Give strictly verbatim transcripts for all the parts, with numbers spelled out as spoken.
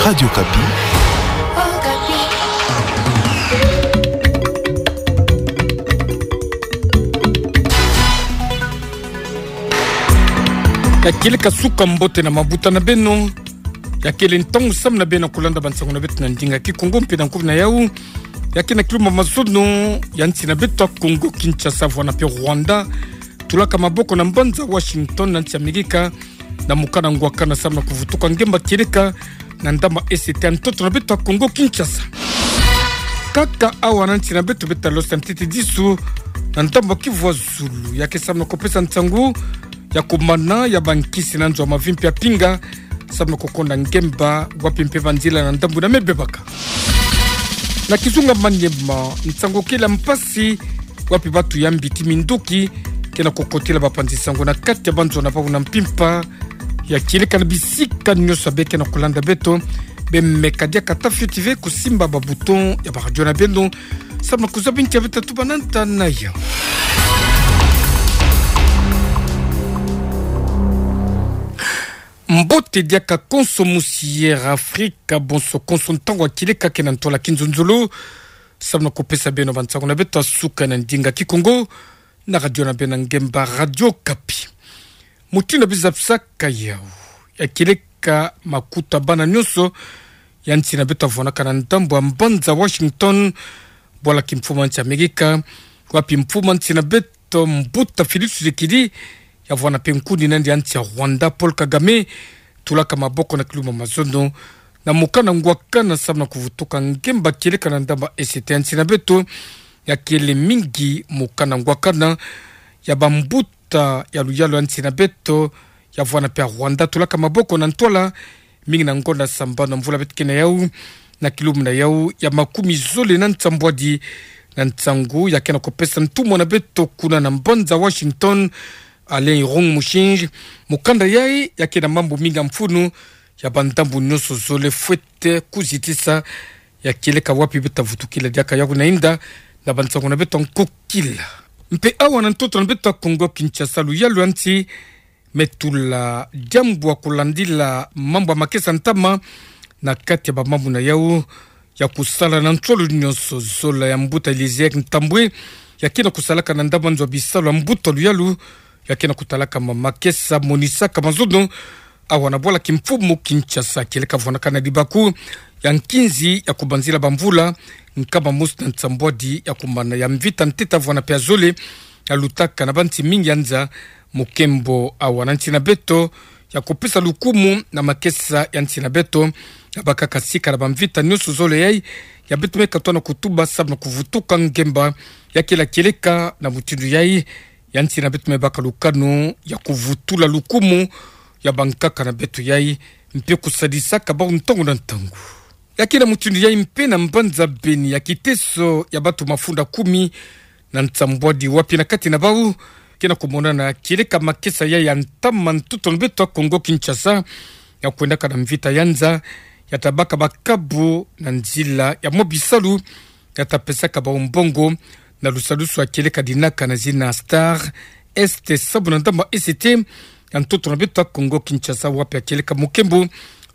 Radio Okapi. Ya kieleka suka mbote na mabuta na beno. Ya kele ntangu samu na beno kulanda bansango na beto na ndinga Kikongo mpe na nkufi na yau. Ya ke na kilumbu mazono ya nsi na beto ya Kongo Kinshasa, vwanda mpe Rwanda, tulaka maboko na mbanza Washington na nsi Amerika, na mokana ngwakana samu na kuvutuka ngemba kieleka na ndambu ya E C T ya ntoto na beto ya Kongo Kinshasa. Kaka awa na nsi na beto, beto ta losa ntete disu na ndambu ya Kivu ya zulu, ya ke samu na kupesa nsangu ya kumana ya bankisi na nzo ya mavi mpe ya mpinga, samu na kukonda ngemba wapi mpe banzila na ndambu ina me bebaka. Na kizunga Maniema, nsangu kele ya mpasi, wapi bantu ya mbiti minduki ke na kukotila bapanzi-nsangu na kati ya banzo na bau na mpimpa ya kieleka na bisika nyonso ya be ke na kulanda beto. Be meka diaka ata fioti ve kusimba ba bouton ya ba radio na beno, samu na kuzaba nti ya beto ta tuba na nta na yau. Mbote diaka konso, musi Air Afrika, bonso konso, ntangu ya kieleka ke na ntwala kinzonzolo, samu na kupesa beno bansangu na beto ya suka na ndinga Kikongo na radio na beno ya ngemba, Radio Okapi. Mutindu ya bizapisaka yau, ya kieleka makuta bana nyonso ya nsi na beto ya vwanaka na ndambu ya mbanza Washington, bwala kimfumu ya nsi Amerika, wapi mfumu ya nsi na beto, mbuta Félix Tshisekedi, ya vwanda mpe nkundi na yandi ya nsi ya Rwanda, Paul Kagame, tulaka maboko na kilumbu mazono, na mokana ngwakana samu na kuvutuka ngemba kieleka na ndambu ya E C T ya nsi na beto, ya kele mingi mokana ngwakana ya bambuta ya luyalu ya nsi na beto, ya vwanda mpe ya Rwanda, tulaka maboko na ntwala mingi na ngonda sambanu na mvula beto ke na yau, na kilumbu na yau ya makumi zole na nsambwadi. Na nsangu ya ke na kupesa ntumwa na beto kuna na mbanza Washington, Alain Irung Mushinji, mukanda yai ya ke na mambu mingi ya mfunu ya bandambu nyonso zole fwete kuzitisa ya kieleka wapi beto ta vutukila diaka yau na inda na bansangu na beto ya nkokila. Mpe awa na ntoto na beto ya Kongo Kinshasa, luyalu ya nsi me tula diambu ya kulandila mambu ya makesa ntama na kati ya bamambu na yau ya kusala na nsolo nyonso. Zola ya mbuta Eliezer Ntambwe, ya ke na kusalaka na ndambu ya nzo ya bisalu ya mbuta luyalu ya ke na kutalaka ma makesa, monisaka mazono awa na bwala kimfumu Kinshasa, kieleka vwanaka na libaku ya nkinzi ya kubanzila bamvula nkama mosi na nsambwadi ya kumana ya mvita ntete ya vwanda mpe ya zole ya lutaka na bansi mingi ya nza. Mukembo awa na nsi na beto ya kupesa lukumu na makesa ya nsi na beto, ya bakaka sika na bamvita nyonso zole yai ya beto me katuka na kutuba samu na kuvutuka ngemba. Ya kele kieleka na mutindu yai ya nsi na beto me baka lukanu ya kuvutula lukumu ya bankaka na beto yai, mpe kusadisaka bau ntangu na ntangu. Ya ke na mutindu yai mpe na mbanza Beni, ya kiteso ya bantu mafunda kumi na nsambwadi wapi na kati na bau ke na kumonana kieleka makesa yai ya ntama ntoto na beto ya Kongo Kinshasa, ya kwendaka na mvita ya nza, ya ta baka bakabu na nzila ya mwa bisalu, ya ta pesaka bau mbongo na lusadusu ya kieleka dinaka na zina Star Est, sabu na ndambu ya E C T ya ntoto na beto ya Kongo Kinshasa, wapi ya kieleka mukembo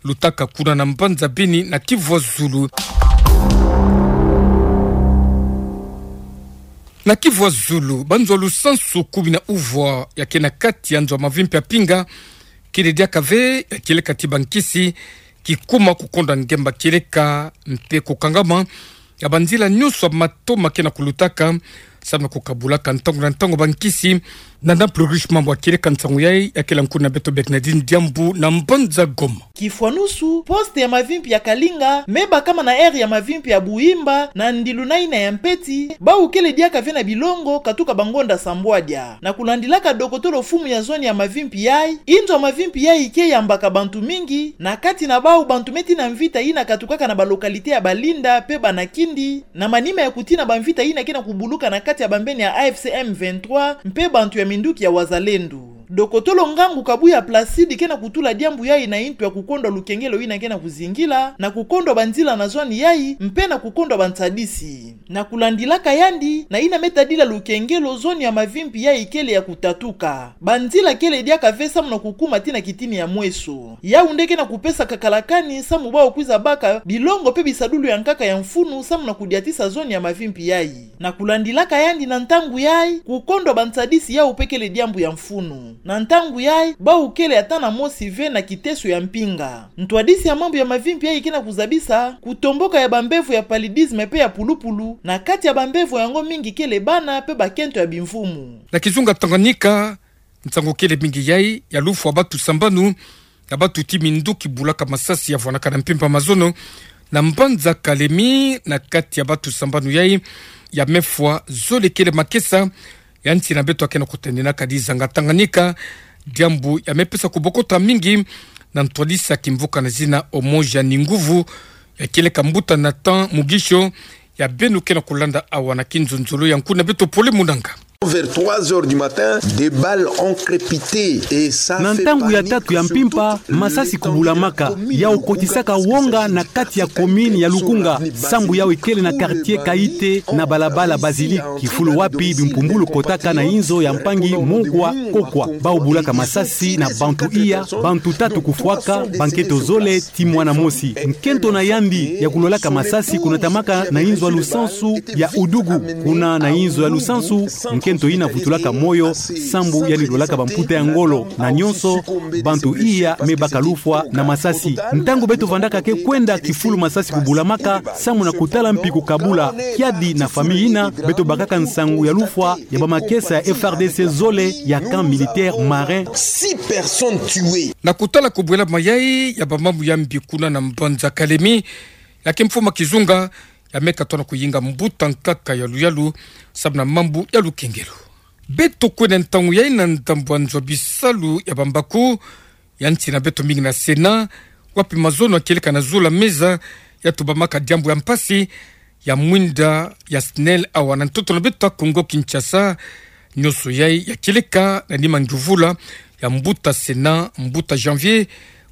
lutaka kuna na mbanza Beni na Kivu ya zulu. Na Kivu ya zulu, banzo ya lusansu kumi na uvwa ya ke na kati ya nzo ya mavi mpe ya mpinga, kele diaka ve ya kieleka ti bankisi kikuma kukonda ngemba kieleka mpe kukangama ya banzila nyonso ya mato ma ke na kulutaka, samu na kukabulaka ntangu na ntangu bankisi. Na, na Plurish, mambu ya kieleka nsangu yai ya kele nkuna beto Bernardine Diambu na mbanza Goma. Kifwanusu, poste ya mavimpi ya Kalinga me bakama na aire ya mavimpi ya Buhimba na ndilu na ina ya mpeti, bau kele diaka ve na bilongo katuka bangonda sambwadia. Na kulandilaka dokotolo mfumu ya zone ya mavimpi yai, inzo ya mavimpi yai ke yambaka bantu mingi, na kati na bau bantu me tina mvita ina katukaka na ba localité ya Balinda mpe Banakindi, na manima ya kutina bamvita ina ke na kubuluka na kati ya bambeni ya A F C M vingt-trois mpe bantu ya minduki ya Wazalendo. Dokotolo ngangu Kabuya Placide ke na kutula diambu yayi na intu ya kukondwa lukengelo ina ke na kuzingila, na kukondwa banzila na zoni yayi, mpe na kukondwa bantadisi. Na kulandilaka yandi, na ina me tadila lukengelo, zoni ya Mavimpi yayi kele ya kutatuka. Banzila kele diaka ve samu na kukuma tii na kitini ya mweso. Yau nde ke na kupesa kakalakani samu bau kwiza baka bilongo mpe bisadulu ya nkaka ya mfunu samu na kudiatisa zoni ya Mavimpi yayi. Na kulandilaka yandi na ntangu yayi, kukondwa bantadisi yau mpe kele diambu ya mfunu. Na ntangu yayi, bau kele ata na mosi ve na kiteso ya mpinga. Ntwadisi ya mambu ya Mavimpi yayi ke na kuzabisa kutomboka ya bambevo ya paludisme mpe ya pulupulu na kati ya bambevo yango mingi kele bana mpe bakento ya bimvumu. Na kizunga Tanganyika, nsangu kele mingi yayi ya lufwa batu sambanu, ya batu ti minduki bulaka masasi ya vwanaka na mpimpa mazono, na mbanza Kalemi, na kati ya batu sambanu yayi, ya me fwa zole kele makesa, ya nsi na beto ya ke na kutendinaka dizanga Tanganyika, diambu ya me pesa kubokota mingi, na ntwadisi ya kimvuka na zina Omoja ni Nguvu, ya kieleka mbuta Nathan Mugisho, ya beno ke na kulanda awa na kinzonzolo ya nkuna beto Pole Munanga. Vers trois heures du matin, des balles ont crépité et ça Na fait ntangu ya panique tatu ya sur mpimpa, toute masasi l'étendue de la kubulamaka, commune ya de okotisaka Lukunga, wonga na kati ya commune ya Lukunga, sambu yau ikele na quartier Kaite na balabala Basilique, kifulu wapi bimpumbulu kotaka na inzo ya mpangi Mokwa Kokwa. Bau bulaka masasi na bantu iya, bantu tatu kufwaka, bankento zole ti mwana mosi. Nkento na yandi ya kulolaka masasi kunatamaka na inzo ya lusansu ya Udugu. Kuna na inzo ya lusansu, nkento yina vutulaka moyo, sambu yandi lolaka bamputa ya ngolo, na nyonso bantu iya me baka lufwa na masasi. Ntangu beto vandaka ke kwenda kifulu masasi kubulamaka, samu na kutala mpi kukabula kiadi na famille yina, beto bakaka nsangu ya lufwa ya bamakesa ya F R D C zole ya camp militaire marin. Six personnes tuées. Na kutala kubwela mayai ya bamambu ya mbi kuna na mbanza Kalemi, ya kimfumu kizunga, ya me katona kuyinga mbuta nkaka ya luyalu, samu na mambu ya lukengelo. Beto kwenda ntangu yayi na ndambu ya nzo ya bisalu ya bambaku, ya nsi na beto mingi na Sénat, wapi mazono ya kieleka na zula meza, ya tubamaka diambu ya mpasi, ya mwinda ya SNEL awa na ntoto na beto Kongo Kinshasa, nyonso yayi ya kieleka na nima ngiuvula ya mbuta Sénat, mbuta Janvier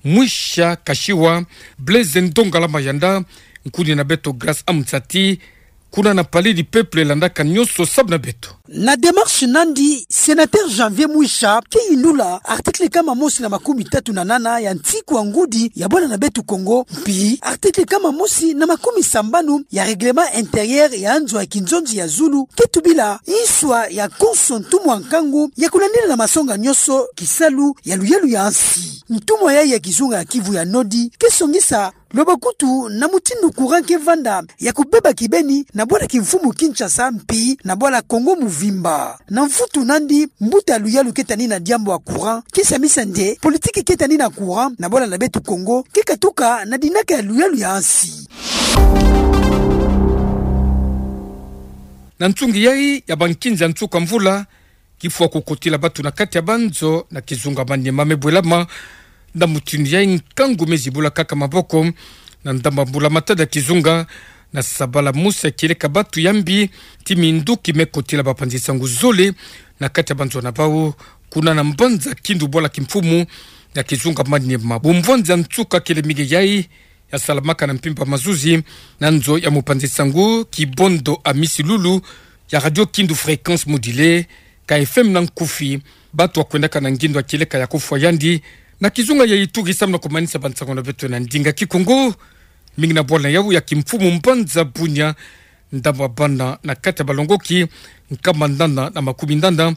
Muisha Kashiwa, Blaise Ndongala Mayanda, nkuni na beto Grâce Amzati, kuna na Palais du Peuple landaka nyonso samu na beto. Na démarche na yandi, sénateur Janvier Muisha ke yindula article kama mosi na makumi tatu na nana ya nsiku ya ngudi ya bwala na beto Kongo, mpi article kama mosi na makumi sambanu ya règlement intérieur ya nzo ya kinzonzi ya zulu, ke tubila nswa ya konso ntumwa nkangu ya kulandila na masonga nyonso kisalu ya luyalu ya nsi. Ntumwa yayi ya kizunga ya Kivu ya Nord ke songisa loba kutu na mutindu courant ke vanda ya kubeba kibeni na bwala kimfumu Kinshasa mpi na bwala Kongo muvimba. Na mvutu na yandi, mbuta luyalu ke tani na diambu ya courant ke samisa nde politique ke tani na courant na bwala na beto Kongo ke katuka na dinaka ya luyalu ya nsi. Na nsungi yayi ya bankinzi ya nsuka mvula, kifwa kukotila batu na kati ya banzo na kizunga Maniema me bwelama. Na mutindu yayi nkangu me zibula kaka maboko na ndambu ya mbula matadi ya kizunga, na sabala mosi ya kieleka batu ya mbi ti minduki me kotila bapanzi nsangu zole na kati ya banzo na bau, kuna na mbanza Kindu bwala kimfumu ya kizunga Maniema. Bumvwanzi ya nsuka kele mingi yayi ya salamaka na mpimpa mazuzi na nzo ya mupanzi nsangu Kibondo Amisi Lulu ya Radio Kindu Fréquence Modulée, ka F M na nkufi. Batu ya kwendaka na ngindo ya kieleka ya kufwa yandi na kizunga ya Ituri samu na kumanisa bansangu na beto na ndinga Kikongo, mingi na bwala na yau ya kimfumu mbanza Bunia, ndambu ya bana na kati ya balongoki nkama nana na makumi nana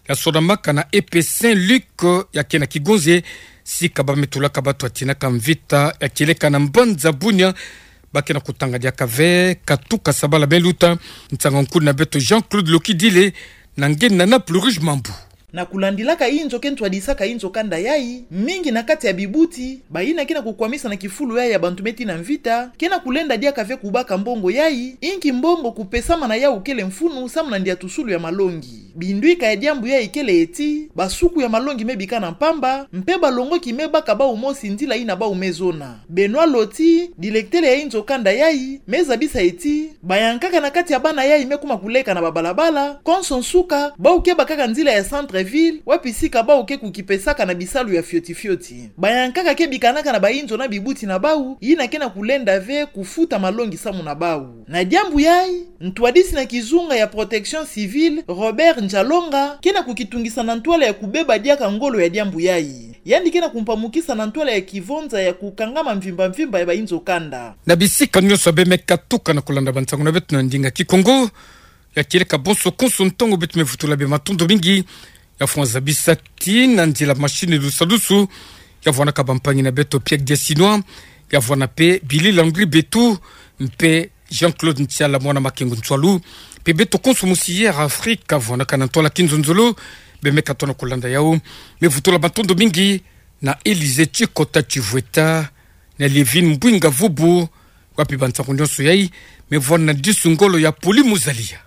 ya sonamaka na E P Saint Luc ya ke na Kigonze, sika ba me tulaka batu ya tinaka mvita ya kieleka na mbanza Bunia, ba ke na kutanga diaka ve katuka sabala me luta. Nsangu nkuni na beto Jean-Claude Lokidile na nge na Naples Rouge Mambu. Na kulandilaka inzo ke ntwadisaka inzo kanda yayi, mingi na kati ya bibuti, bayina ke na kukwamisa na kifulu yayi ya bantu me tii na mvita, ke na kulenda diaka ve kubaka mbongo yayi, inki mbongo kupesama na yau kele mfunu samu na ndiatusulu ya malongi. Bindwika ya diambu yayi kele ti basuku ya malongi me bika na mpamba, mpe balongoki me baka bau mosi nzila yina bau me zona. Benoît Loti, dilektele ya inzo kanda yayi, me zabisa ti bayankaka na kati ya bana yayi me kuma kuleka na babalabala, konso nsuka, bau keba kaka nzila ya centre civile, wapi sika bau ke kukipesaka na bisalu ya fioti fioti. Bayankaka ke bikanaka na bainzo na bibuti na bau, yina ke na kulenda ve kufuta malongi samu na bau. Na diambu yayi, ntwadisi na kizunga ya Protection Civile, Robert Ndjalonga, ke na kukitungisa na ntwala ya kubeba diaka ngolo ya diambu yayi. Yandi ke na kumpamukisa na ntwala ya kivonza ya kukangama mvimba mvimba ya bainzo kanda. Na bisika nyonso beme katuka na kulanda bansangu na beto na ndinga Kikongo, ya kieleka bonso konso ntangu beto me vutula bima matondo mingi ya fwanza bisati na nzila machine lusalusu, ya vwanaka bampangi na beto Pierre Diasinois, ya vwana pe Billy Landry Betu, mpe Jean-Claude Ntiala mwana Makengo Ntswalu, mpe beto konso musi Air Afrique, ya vwanaka na ntwala kinzonzolo, beme katona kulanda yau. Me vutula matondo mingi na Elise Tshikota Tshivweta, na Lievine Mbwinga Vubu, wapi bansangu nyonso yayi me vwana na disu ngolo ya Poli Muzalia.